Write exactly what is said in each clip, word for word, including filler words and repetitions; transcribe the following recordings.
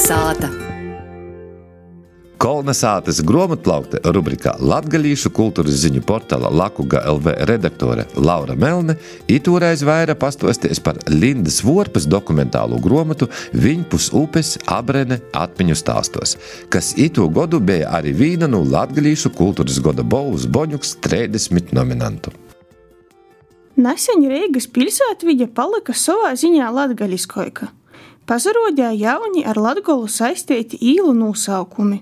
Sāta. Kolna sātas grāmatplaukte rubrikā latgalīšu kultūras ziņu portāla Lakuga L V redaktore Laura Melne itūreiz vaira pastuosties par Lindas Vorpes dokumentālu grāmatu Viņpus upes Abrene atmiņu stāstos, kas itū godu bija arī vīna no latgalīšu kultūras goda balvas Boņuks trīsdesmit nominantu. Nesen Reigas pilsētviļa palika savā ziņā latgaliskoika. Pazarodēja jauni ar Latgolu saistīti īlu nūsaukumi.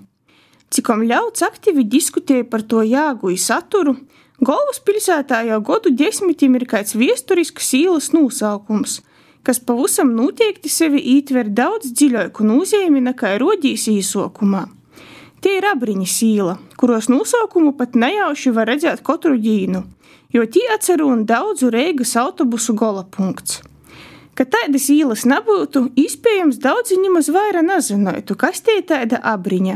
Cikom ļauds aktīvi diskutēja par to jāgu i saturu, galvaspilsētā jau godu desmitim ir kāds viesturisks īlas nūsaukums, kas pavusam noteikti sevi ītver daudz dziļoiku nūzīmi nekā rodīs īsokumā. Tie ir Abriņas īla, kuros nūsaukumu pat nejauši var redzēt katru dīnu, jo tie atcerūn daudzu Reigas autobusu gola punkts. Ka tādas īlas nebūtu, iespējams daudzi nimaz vaira nezinotu, kas tie tāda Abriņa.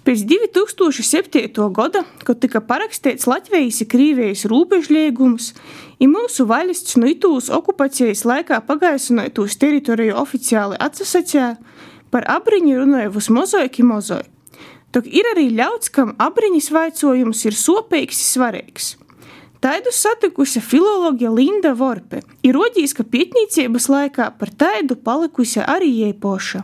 Pēc divi tūkstoši septītā goda, kad tika parakstīts Latvijas i Krīvijas rūbežliegums, i mūsu valsts no itūs okupacijas laikā pagaisinoitūs teritoriju oficiāli atsasacēja, par Abriņu runāja vismozoik i mozoik. Tok ir arī ļauds, kam Abriņas vaicojums ir sopeigs i svarīgs. Taidu satikusi filoloģija Linda Vorpe, ir rodīs, ka pietnīcības laikā par taidu palikusi arī jai poša.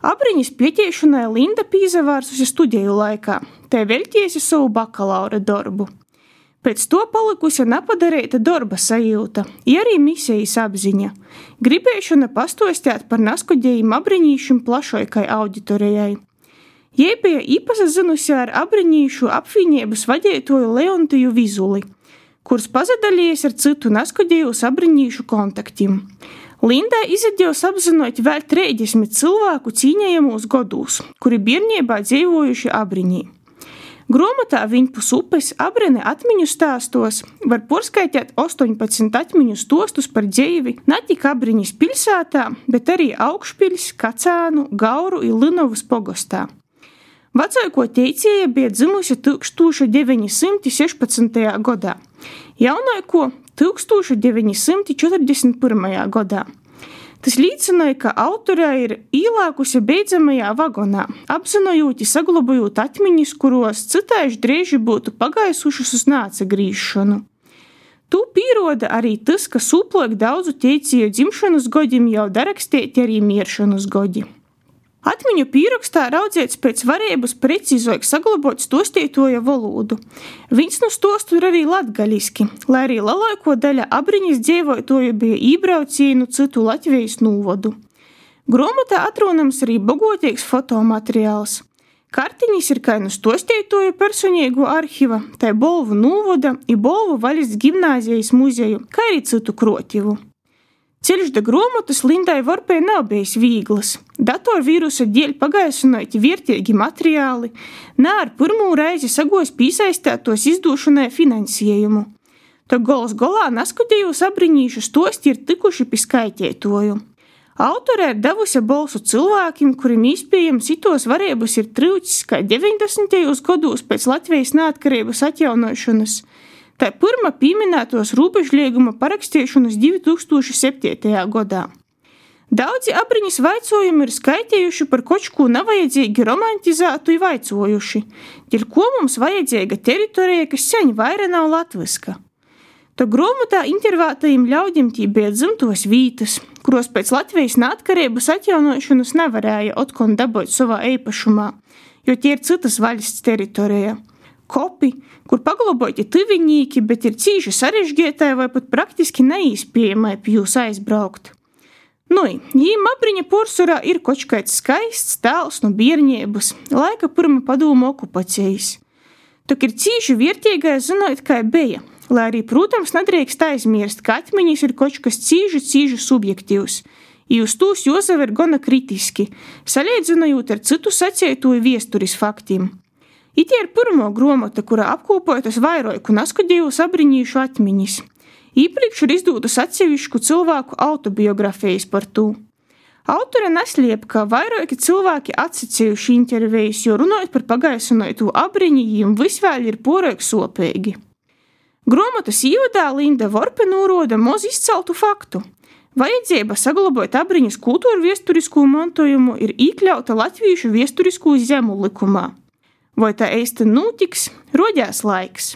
Abriņas pietiešanai Linda pīzavārsusi studiju laikā, te veļtiesi savu bakalaura darbu. Pēc to palikusi nepadareita darba sajūta, i arī misijas apziņa, gribēšana pastostēt par naskodējiem abriņīšiem plašoikai auditorijai. Jei bija īpasazinusi ar abriņīšu apvienības vadētoju Leontiju Vizuli, kurs pazadalījies ar citu naskodējus abriņīšu kontaktim. Lindai izadījos apzinot vēl trīsdesmit cilvēku cīņējamos godūs, kuri bērnībā dzīvojuši Abriņī. Grāmatā Viņpus upes Abrene atmiņu stāstos var porskaitēt astoņpadsmit atmiņu stostus par dzīvi ne tik Abriņas pilsētā, bet arī Augšpiļs, Kacānu, Gauru i Linovas pogostā. Vacoiko teicēja bija dzimusi tūkstoš deviņi simti sešpadsmitajā godā, jaunoiko tūkstoš deviņi simti četrdesmit pirmajā godā. Tas līdzināja, ka autorē ir īlākusi beidzamajā vagonā, apzinojot i saglabājot atmiņas, kuros citaiši drēži būtu pagaisušas uz nācagrīšanu. Tu pīroda arī tas, ka sūploik daudzu teicēju dzimšanas godim jau darakstēti arī mieršanas godi. Atmiņu pīrokstā raudzēts pēc varības precīzoik saglabot stostītoja valodu. Viņs nu stostu ir arī latgaliski, lai arī lielāko daļa Abriņas dzīvotoju bija ībraucienu citu Latvijas nūvodu. Grāmatā atrunams arī bogotīgs fotomateriāls. Kartiņas ir kā nu stostītoju personīgu arhiva, tai Bolvu nūvoda i Bolvu valsts gimnāzijas muzeju, kā arī citu krotivu. Ceļš da grāmatas Lindai Vorpei nav bijis vīglas. Datorvīrusa dēļ pagaisinoti vērtīgi materiāli, ne ar pirmū reizi sagos pīsaistētos izdūšanai finansējumu. To gols golā naskatījus abriņīšu stosti ir tikuši pi skaitētoju. Autorē ir devusi balsu cilvēkiem, kurim īspējams itos varības ir trūcis kā deviņdesmitajos gados pēc Latvijas neatkarības atjaunošanas, tā pirma pieminētos rūbežlieguma parakstīšanas divi tūkstoši septītajā godā. Daudzi Abriņas vaicojumi ir skaitējuši par kočku nevajadzīgi romantizētu i vaicojuši, dēļ ko mums vajadzīga teritorija, kas seņ vaira nav latviska. To grāmatā intervētajiem ļaudim tī bija dzimtos vītas, kuros pēc Latvijas neatkarības atjaunošanas nevarēja otkon dabūt savā eipašumā, jo tie ir citas valsts teritorija. Kopi, kur paglaboti tuviņīki, bet ir cīši sarežģietai vai pat praktiski neīspējamai pie jūs aizbraukt. Nui, jīm Abriņa porsurā ir kočkaits skaists tēls no bierniebas, laika pirma padūmu okupacijas. Tok ir cīši vērtīgai zinot, kā beja, lai arī, protams, nedrīkst aizmirst, ka atmiņas ir kočkas cīži, cīži subjektīvs, i uz tūs jozaver gana kritiski, salīdzinojot ar citu sacētoju viesturis faktiem. Ite ir pirmo grāmata, kurā apkopojotas vairoiku naskadījus abriņīšu atmiņas. Īpriekš ir izdūtas atsevišku cilvēku autobiografijas par tū. Autore nesliep, ka vairoiki cilvēki atsacījuši intervijas, jo runājot par pagaisinotu Abriņu, jiem visvēl ir poreik sopēgi. Grāmatas īvadā Linda Vorpe nūroda moz izceltu faktu. Vajadzība saglabāt Abriņas kultūru viesturiskū mantojumu ir iekļauta Latvīšu viesturiskū zemu likumā. Vai tā eisti nūtiks, rodās laiks.